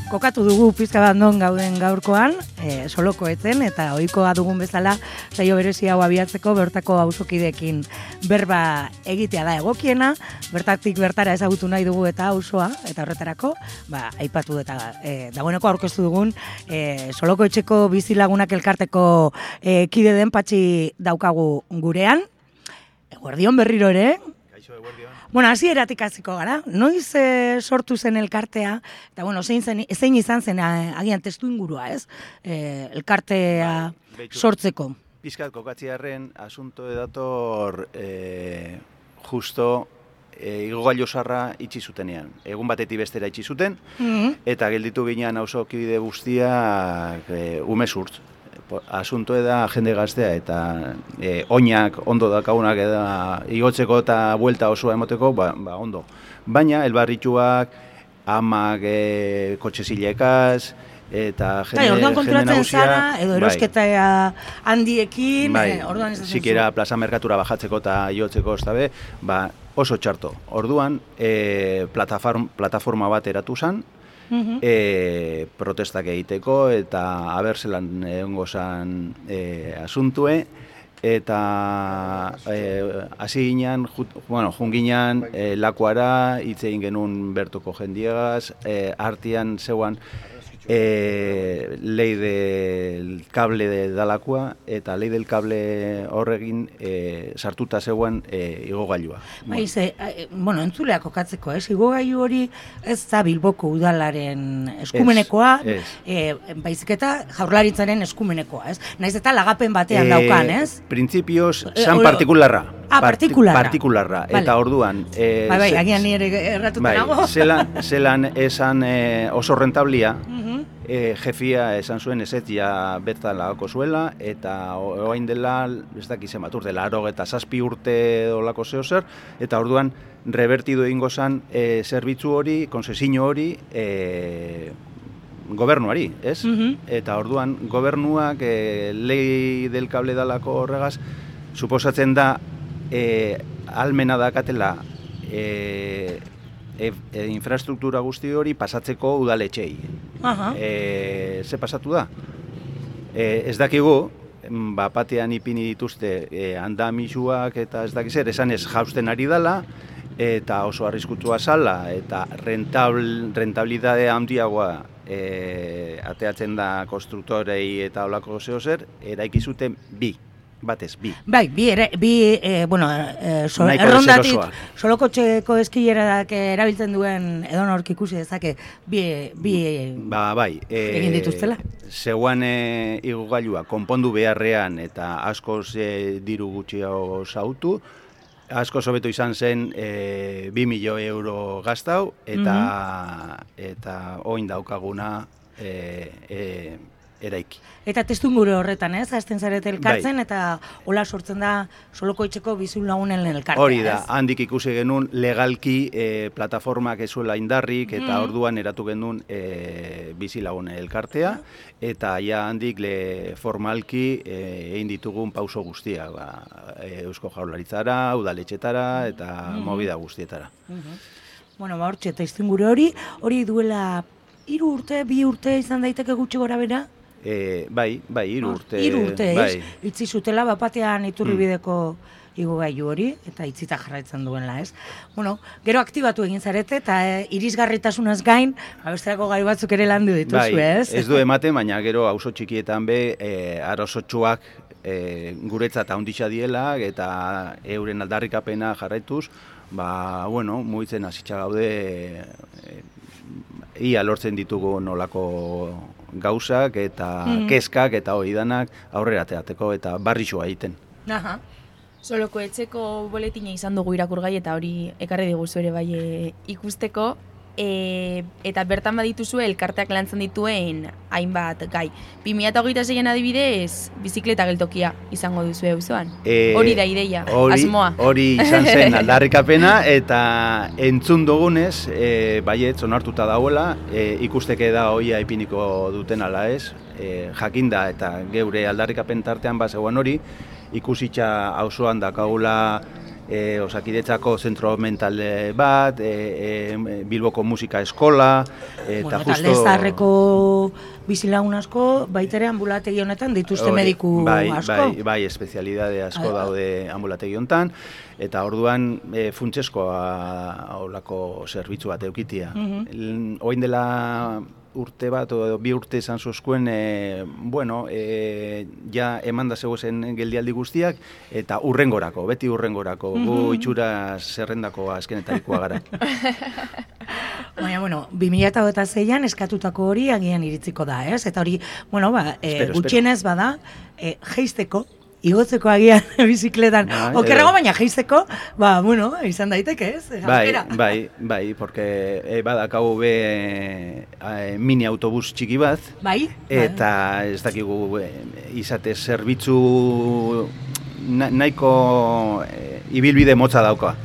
kokatu dugu pizka bat non gauden gaurkoan, soloko etzen, eta ohikoa dugun bezala, saio berezi hau abiatzeko bertako auzokideekin berba egitea da egokiena, bertatik bertara ezagutu nahi dugu eta auzoa, eta horretarako, aipatu eta dagoeneko aurkeztu dugun, soloko etxeko bizilagunak elkarteko kide den Patxi daukagu gurean, eguerdion berriro ere. Bueno, hasieratik hasiko gara. Noiz sortu zen elkartea, eta bueno, zein izan zen agian testu ingurua, ez? Elkartea sortzeko. Pizkat kokatziarren asunto edator justo igogailu sarra itxi zutenean. Egun batetik bestera itxi zuten, eta gelditu ginean auzokide guztiak umezurtz. Asunto da jende gaztea eta oinak ondo dakagunak eta igotzeko eta buelta osoa emoteko, ondo. Baina, elbarrituak, amak kotxezilekaz, eta jende nagusia... Orduan konturatzen zara, edo erosketa handiekin, orduan ez da zen zu. Zikera plaza merkatura bajatzeko eta iotzeko, ez dabe, oso txarto. Orduan, plataforma bat eratu zen, protestak egiteko eta abertzelan egongo zan asuntue eta hasi ginean, jun ginean lakuara, hitz egin genuen bertoko jendiegaz, artean zeuan lei del cable de dalakua eta lei del cable horregin sartuta zegoen igogailua. Entzuleak kokatzeko, igogailu hori ez da Bilboko udalaren eskumenekoa, baizik eta Jaurlaritzaren eskumenekoa, ez? Naiz eta lagapen batean daukan, ez? Printzipioz, san partikularra. Partikularra. Eta orduan... agian nire erratuta nago. Zelan esan oso rentablia, jefia esan zuen ezetia bertan lagako zuela, eta oain dela, ez dakizen bat urte, 87 urte dolako zehozer, eta orduan revertido egingo zan zerbitzu hori, konsesio hori, gobernuari, ez? Eta orduan gobernuak lei del cable dalako horregaz, suposatzen da, almena dakatela infrastruktura guzti hori pasatzeko udaletxei. Ze pasatu da? Ez dakigu, batean ipini dituzte andamisuak eta ez dakizer, esan ez jausten ari dela, eta oso arriskutua zala, eta rentabilitate handiagoa ateatzen da konstruktorei eta olako zehozer, eraiki zuten bi. Batez, bi. Errondatik, solokotxeko eskillerak erabiltzen duen edonork ikusi dezake, bi egin dituztela. Zeuan igogailua konpondu beharrean eta askoz diru gutxiago zautu, askoz hobeto izan zen 2 milioi euro gaztau, eta oin daukaguna eraiki. Eta testunguru horretan, ez? Hasten zarete elkartzen, eta hola sortzen da soloko etxeko bizilagunen elkartea. Hori da, handik ikusi genuen legalki plataformak ezuela indarrik, eta orduan eratu genuen bizilagunen elkartea, eta ja handik formalki egin ditugun pauso guztia, Eusko Jaurlaritzara, udaletxetara, eta movida guztietara. Hortxe, testunguru hori duela 3 urte, 2 urte izan daiteke gutxi gora bera? Bai, 3 urte. 3 urte, ez? Itzi zutela, bapatean Iturribideko igogailu hori, eta itzita jarraitzen duela, ez? Gero aktibatu egin zarete, eta irisgarritasunaz gain, besterako gai batzuk ere landu dituzu, ez? Ez du ematen, baina gero auzo txikietan be, arozotxuak guretzat handitza diela, eta euren aldarrikapena jarraituz, mugitzen hasitza gaude, ia lortzen ditugu nolako gauzak eta kezkak eta hori danak aurrera teateko eta barrixua egiten. Soloko etxeko boletina izan dugu irakurgai eta hori ekarri diguzu ere bai ikusteko. Eta bertan badituzue elkarteak lantzen dituen hainbat gai. 2026an adibidez, bizikleta geltokia izango duzue auzoan. Hori da ideia, asmoa. Hori izan zen aldarrikapena eta entzun dugunez, baiet, onartuta dagoela, ikusteke da hoia ipiniko duten ala ez, jakinda eta geure aldarrikapen tartean bazegoan hori, ikusitza auzoan dakagula Osakidetzako zentro mental bat, Bilboko musika eskola, eta justo... Talde zaharreko bizilagun asko, baitere ambulategi honetan dituzte mediku asko. Bai, espezialidade asko daude ambulategi honetan, eta orduan funtseskoa olako zerbitzu bat eukitia. Oin dela urte bat, edo 2 urte izan zuzkuen, ja emanda zegoen geldialdi guztiak, eta beti urrengorako, gu itxura zerrendako azkenetarikoa gara. Baina, 2026an eskatutako hori agian iritziko da, ez? Eta hori, gutxienez bada, jeisteko, igotzeko agian bizikletan, okerrago baina jeisteko, izan daiteke, ez? Bai, porque badakau mini autobus txiki bat, eta ez dakigu izate zerbitzu nahiko ibilbide motza dauka.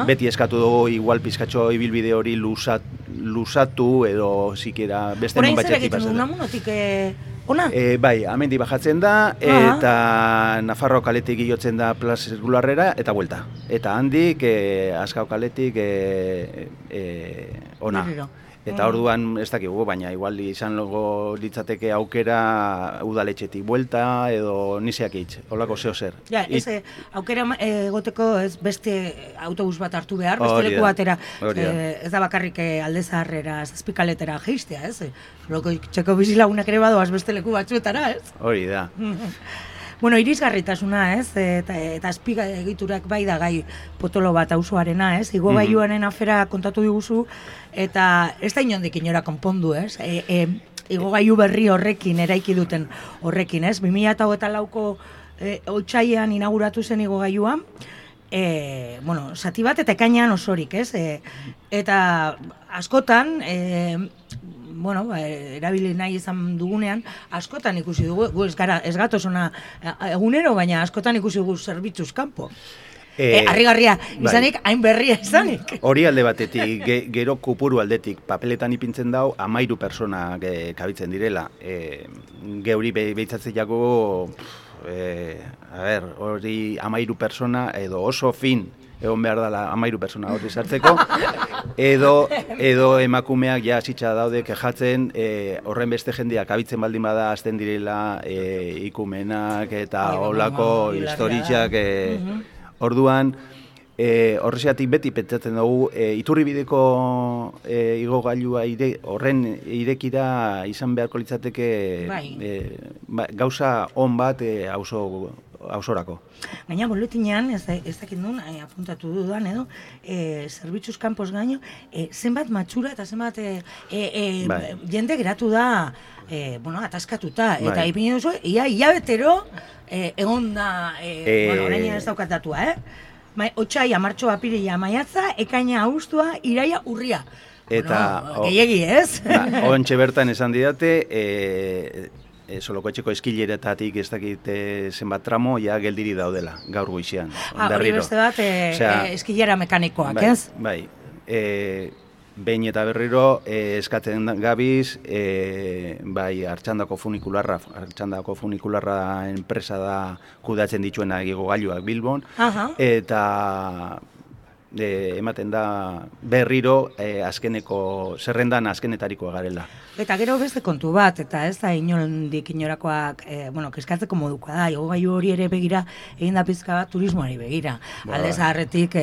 Beti eskatu dugu igual pizkatxo ibilbide hori lusatu edo sikiera beste non batxetik pasatu. Orain zer egiten ona? Bai, amendi bajatzen da, eta Nafarro kaletik igotzen da Plaza Zirkularrera, eta buelta. Eta handik, Azkao kaletik ona. Eta orduan ez dakigu, baina igual izan logo litzateke aukera udaletxetik buelta edo niseak hitz, holako zeo zer. Ja, aukera egoteko ez beste autobus bat hartu behar, beste leku batera, ez da bakarrik Alde Zaharrera, Zazpikaletera jeistea, ez? Loko txeko bizilagunak ere badoaz beste leku batzuetara, ez? Hori da. Irisgarritasuna, ez? Eta azpiga egiturak bai da gai potolo bat auzoarena, ez? Igogailuaren afera kontatu diguzu, eta ez da inondik inora konpondu, ez? Igogailu berri horrekin, eraiki duten horrekin, ez? 2024ko otsailean inauguratu zen igogailuan, zati bat eta ekainean osorik, ez? Eta askotan, erabili nahi izan dugunean, askotan ikusi dugu, gu ez gatoz ona egunero, baina askotan ikusi dugu zerbitzuz kanpo. Harrigarria izanik, hain berria izanik. Hori alde batetik, gero kupuru aldetik, papeletan ipintzen dau, 13 persona kabitzen direla. Geuri behitzatzen jago, hori 13 persona edo oso fin, egon behar dela 13 persona hori sartzeko, edo emakumeak ja hasitza daude kejatzen, horren beste jendeak abitzen baldin bada hasten direla ikumenak eta holako historiak, orduan horreziatik beti pentsatzen dugu Iturribideko igogailua horren irekira izan beharko litzateke gauza on bat ausorako. Gaina boletinean, ez dakit nun, apuntatu dudan edo, zerbitzuz kanpoz gaino, zenbat matxura eta zenbat jende geratu da, ataskatuta. Eta ipini duzu, hilabetero egon da, orain ez daukat datua, Otsaia, martxoa, apirila, maiatza, ekaina, abuztua, iraia, urria. Eta gehiegi, ez? Ontxe bertan esan didate, Solokoetxeko eskileretatik ez dakit zenbat tramo, ja geldiri daudela, gaur goizean. Hori beste bat, eskilera mekanikoak, ez? Bai, behin eta berriro eskatzen gabiz, bai, Artxandako funikularra enpresa da kudatzen dituena igogailuak Bilbon, eta ematen da berriro zerrendan azkenetarikoa garela. Eta gero beste kontu bat, eta ez da inondik inorakoak, keskatzeko modukoa da, igogailu hori ere begira, egin da pizka bat turismoari begira. Alde Zaharretik,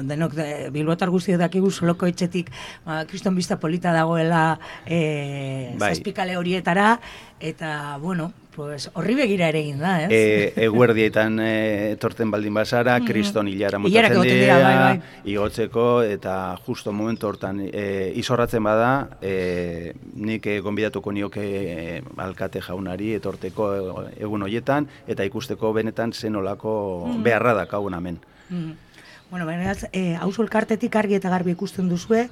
denok bilbotar guztiak dakigu Solokoetxetik, kriston bista polita dagoela Zazpikale horietara, eta, horri begira ere egin da, ez? Eguerdietan etorten baldin bazara, kriston hilara motatzen dira, igotzeko, eta justo momentu hortan izorratzen bada, nik gonbidatuko nioke alkate jaunari etorteko egun horietan, eta ikusteko benetan zenolako beharra dakagun hemen. Beraz, auzo elkartetik argi eta garbi ikusten duzue,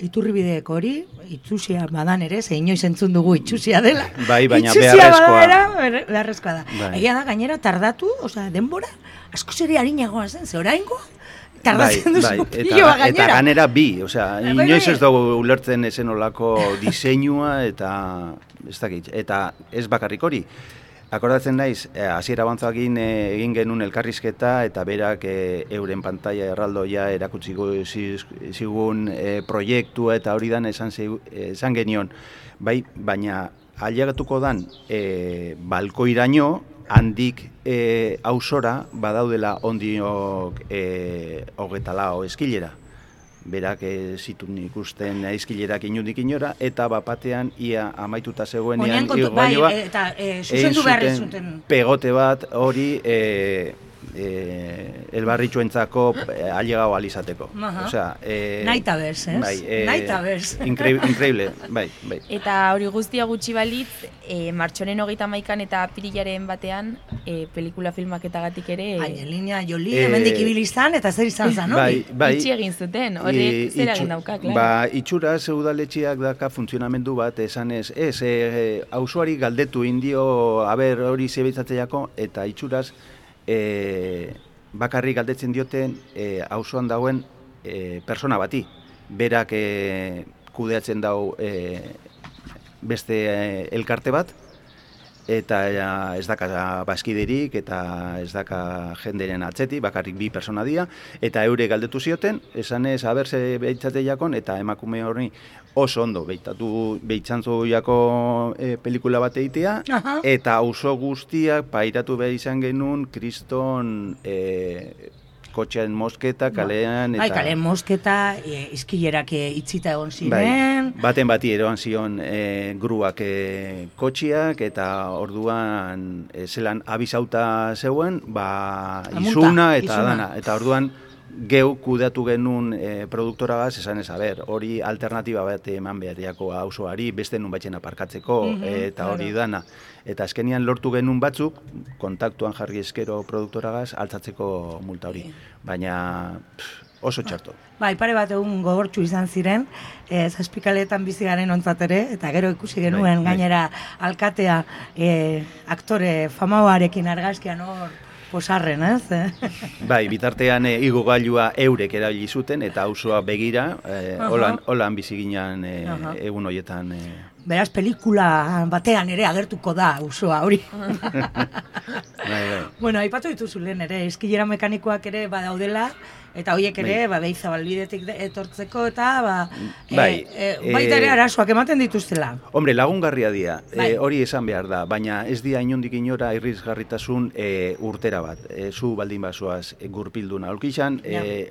Iturribideko hori, itxusia badan ere, ze inoiz entzun dugu itxusia dela. Bai, baina beharrezkoa da. Egia da, gainera, tardatu, denbora, asko zeri harinagoa zen, ze oraingoa, tardatzen duzu piloa gainera. Eta ganera bi, inoiz ez dugu ulertzen ezen olako diseinua, eta ez dakit, eta ez bakarrik hori. Akordatzen naiz, hasiera bantzakin egin genuen elkarrizketa eta berak euren pantalla erraldoia erakutsi zigun proiektua eta hori dan esan genion. Bai, baina ailegatuko dan balkoiraino handik auzora badaudela ondiok 24 eskilera. Berak zitun ikusten aizkilerak inundik inora, eta bapatean ia amaituta zegoenean igogailoa, eta zuzendu behar zuten. Pegote bat hori elbarritxuentzako ailegau alizateko. Naita bez, ez? Bai, naita bez. Increíble, bai. Eta hori guztia gutxi balitz, martxoaren 31 eta apirilaren batean, pelikula filmaketagatik ere... Angelina Jolie, hemendik ibili izan, eta zer izan zan, hori? Itxi egin zuten, hori zer egin dauka, klaro. Itxuraz udaletxeak daka funtzionamendu bat, esan auzoari galdetu indio, hori zebitzatzeako, eta itxuraz, bakarrik galdetzen dioten auzoan dauen persona bati. Berak kudeatzen dau beste elkarte bat, eta ez daka bazkiderik eta ez daka jenderen atzeti, bakarrik bi persona dira, eta eure galdetu zioten, esanez aberse behitzate jakon, eta emakume hori oso ondo behitzantzu jako pelikula bat egitea, eta auzo guztiak pairatu behar izan genuen kriston kotxean mosketa, kalean... Bai, kalean mosketa, izkilerak itzita egon ziren... Baten bati eroan zion gruak kotxiak, eta orduan zelan abizauta zeuen, izuna eta dana. Eta orduan geu kudeatu genuen produktoragaz, esan ez, hori alternatiba bat eman beharriako auzoari, beste nun batzen aparkatzeko, eta hori dana. Eta azkenian lortu genuen batzuk, kontaktuan jarri eskero produktoragaz, altzatzeko multa hori. Baina oso txarto. Pare bat egun gogortxu izan ziren, zazpikaletan bizi garen ontzat ere, eta gero ikusi genuen gainera alkatea aktore famauarekin argazkian hor posarren, ez? Bai, bitartean igogailua eurek erabili zuten, eta auzoa begira, holan bizi ginen egun horietan. Beraz, pelikula batean ere agertuko da auzoa hori. Bueno, aipatu dituzu lehen ere, eskilera mekanikoak ere badaudela, eta horiek ere, Beizabalbidetik etortzeko, eta baita ere arazoak ematen dituztela. Hombre, lagungarria dira, hori esan behar da, baina ez dira inondik inora irrizgarritasun urtera bat. Zu baldin bazoaz gurpilduna aulkixan,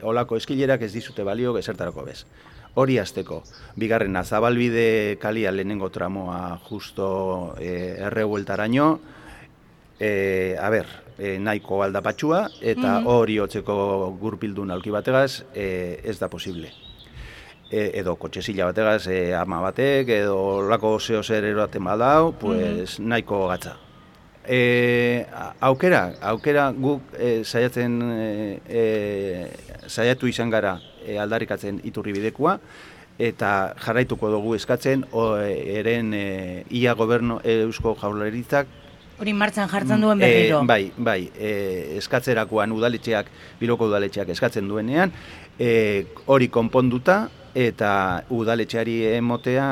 olako eskilerak ez dizute balio ezertarako bez. Hori azteko. Bigarrena, Zabalbide kalia lehenengo tramoa justo errebueltaraino, nahiko aldapatxua, eta hori hotzeko gurpildun aulki bategaz ez da posible. Edo kotxezila bategaz ama batek, edo lako zeo zer eroaten badau, pues nahiko gatza. Aukera guk saiatu izan gara aldarrikatzen iturribidekoa, eta jarraituko dugu eskatzen eren ia gobernu eusko jaurlaritzak hori martxan jartzen duen berriro. Bai, eskatzerakoan udaletxeak, Bilboko udaletxeak eskatzen duenean, hori konponduta eta udaletxeari emotea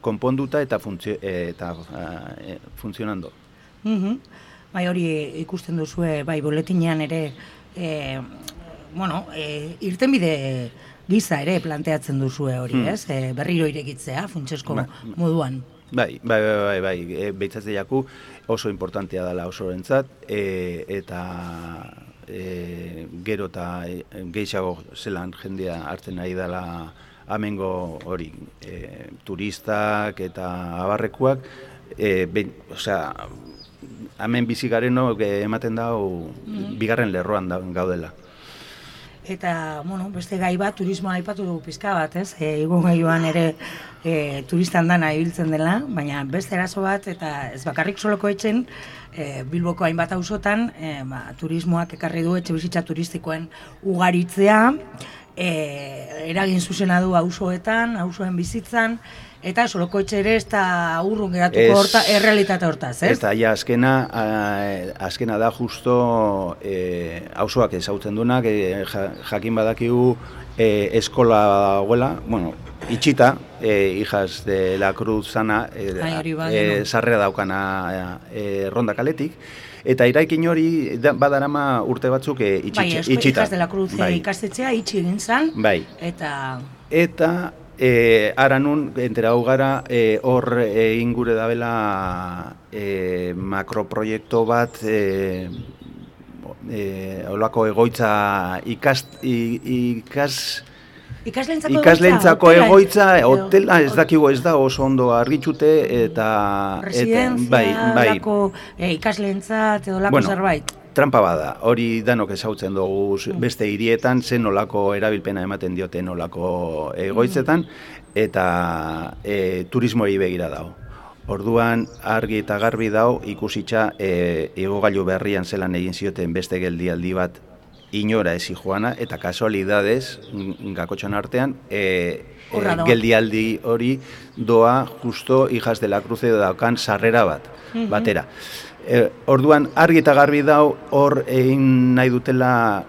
konponduta eta funtzionando. Bai, hori ikusten duzue, bai, boletinean ere, irtenbide giza ere planteatzen duzue hori, ez? Berriro irekitzea, funtsesko moduan. Bai, behitzatzen jaku oso importantea dela osorentzat, eta gero eta gehiago zelan jendea hartzen nahi dela amengo hori, turistak eta abarrekuak, hemen bizi garenok ematen dau bigarren lerroan gaudela. Eta, beste gai bat, turismoa aipatu dugu pizka bat, ez? Igogailua ere turistan dana ibiltzen dela, baina beste eraso bat, eta ez bakarrik soloko etxen, Bilboko hainbat auzotan, turismoak ekarri du etxebizitza turistikoen ugaritzea, eragin zuzena du auzoetan, auzoen bizitzan, Eta Soloko Etxe ere ez da urrun geratuko errealitate hortaz, ez? Eta ja, azkena da justo auzoak ezautzen duenak, jakin badakigu eskola dagoela, bueno, itxita, Hijas de la Cruz zana, sarrera daukana Ronda kaletik, eta eraikin hori badarama urte batzuk itxita. Bai, Hijas de la Cruz ikastetxea itxi egin zan, eta ara nun, enterau gara, hor ingure dabela makroproiektu bat, holako egoitza ikaslentzako egoitza, hotela ez dakigu ez da oso ondo argitxute, eta residentzia, ikaslentzat edo lako zerbait. Trampa bada, hori danok ezautzen dugu beste hirietan, zen nolako erabilpena ematen dioten nolako egoitzetan, eta turismoari begira dago. Orduan, argi eta garbi dago, ikusitza igogailu berrian zelan egin zioten beste geldialdi bat inora ezi joana, eta kasualidadez, gakotxan artean, geldialdi hori doa justo Hijas de la Cruz edo daukan sarrera batera. Orduan, argi eta garbi dau, hor egin nahi dutela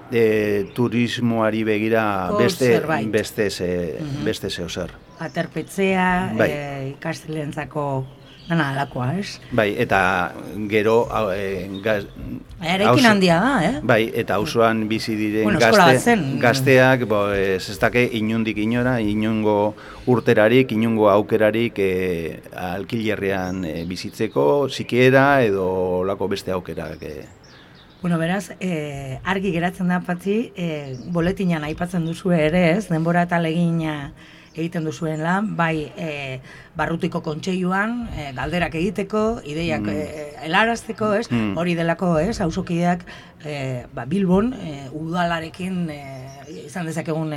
turismoari begira beste zeo zer. Aterpetzea, ikastelentzako dana alakoa, ez? Bai, eta gero... Eraikin handia da, Bai, eta auzoan bizi diren gazteak, ez dake inundik inora, inungo urterarik, inungo aukerarik alkilerrean bizitzeko, sikiera edo lako beste aukerak. Bueno, beraz, argi geratzen da, Patxi, boletinan aipatzen duzu ere, ez? Denbora eta legina egiten duzuen lan, bai barrutiko kontseiluan, galderak egiteko, ideiak helarazteko, ez? Hori delako, ez? Auzokideak Bilbon udalarekin izan dezakegun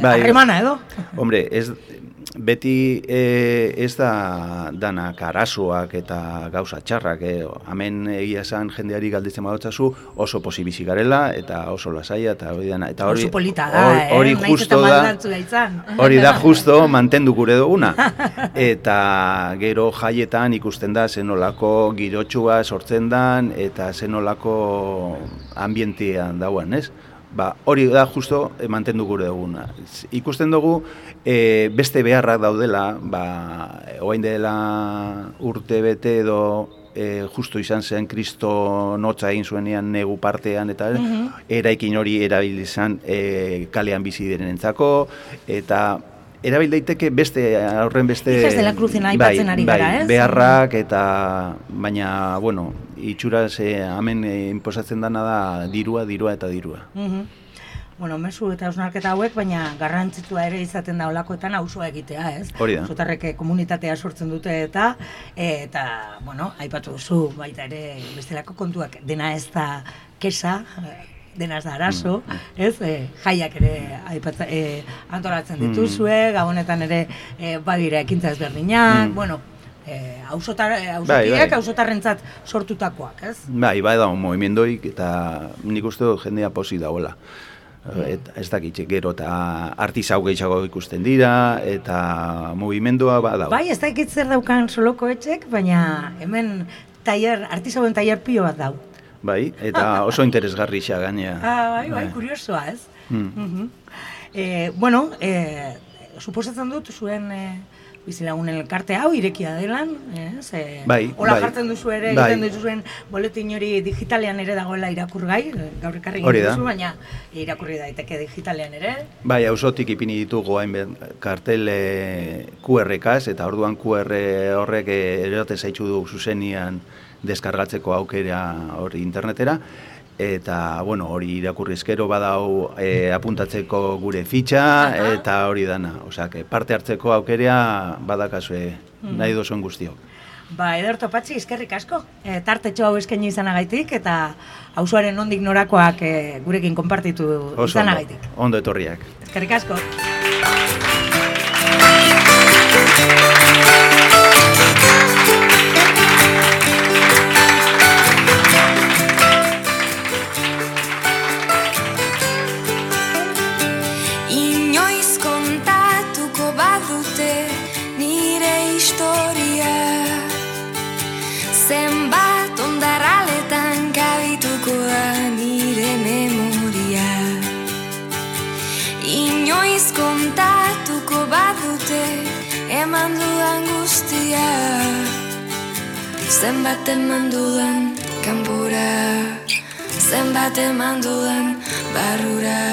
harremana edo? Hombre, beti ez da danak arazoak eta gauza txarrak, hemen egia esan jendeari galditzen badotzazu oso posibizi garela eta oso lasaia eta hori dana. Oso polita da, hori justo da, hori da justo mantendu gure duguna. Eta gero jaietan ikusten da zenolako girotxua sortzen dan eta zenolako ambientean dauen, ez? Hori da justo mantendu gure duguna. Ikusten dugu beste beharrak daudela, oain dela urte bete edo justo izan zen Kristo notza egin zuenean negu partean, eta eraikin hori erabil izan kalean bizi direnentzako, eta erabil daiteke horren beste... Hijas de la Cruzen aipatzen ari gara, ez? Beharrak eta, baina, bueno, itxuraz hemen inposatzen dana da dirua eta dirua. Bueno, mezu eta hausnarketa hauek, baina garrantzitua ere izaten da olakoetan auzoa egitea, ez? Hori da. Auzotarrek komunitatea sortzen dute eta, bueno, aipatu duzu baita ere bestelako kontuak, dena ez da kesa, dena ez da arazo, ez? Jaiak ere antolatzen dituzue, gabonetan ere badira ekintza ezberdinak, bueno, auzokideak auzotarrentzat sortutakoak, ez? Bai da, movimendoik eta nik uste dut jendea posi dagoela. Ez dakitxe, gero eta artisau gehiago ikusten dira, eta movimendua badago. Bai, ez dakit zer daukan Soloko Etxek, baina hemen artisauen tailer pio bat dau. Bai, eta oso interesgarri xa gainea. Bai, kuriosoa, ez? Bueno, suposatzen dut zuen bizilagunen elkarte hau irekia delan, hola jartzen duzu ere, egiten duzuen boletin hori digitalean ere dagoela irakurgai, gaur ekarri duzu, baina irakurri daiteke digitalean ere. Bai, auzotik ipini ditugu kartel QR-kaz, eta orduan QR horrek erote zaitxu du zuzenian deskargatzeko aukera hori internetera, eta, bueno, hori irakurrizkero badau apuntatzeko gure fitxa, eta hori dana. Osea, parte hartzeko aukerea badakazue nahi duzuen guztiok. Ederto Patxi, eskerrik asko. Tartetxo hau eskaini izanagaitik, eta auzoaren nondik norakoak gurekin konpartitu izanagaitik. Ondo etorriak. Eskerrik asko. zenbat eman dudan kanpura, zenbat eman dudan barrura.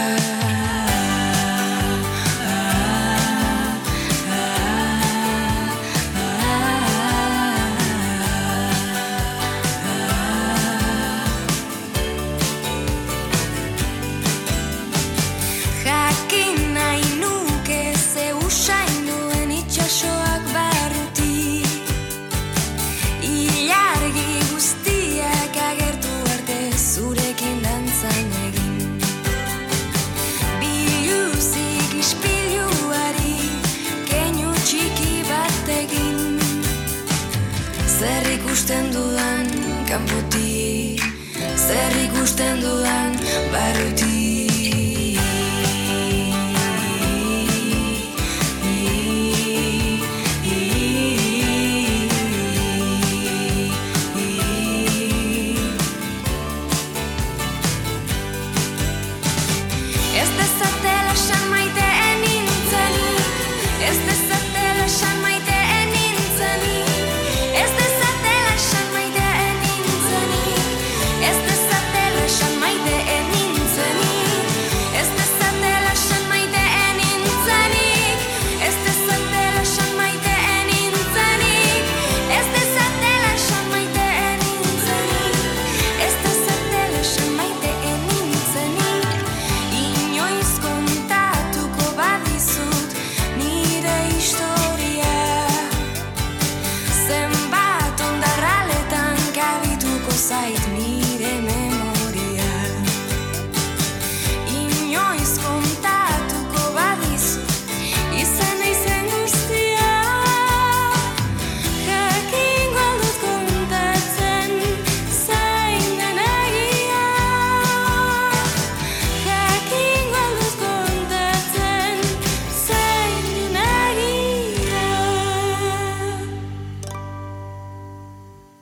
Zer ikusten dudan kanpotik, zer ikusten dudan barrutik.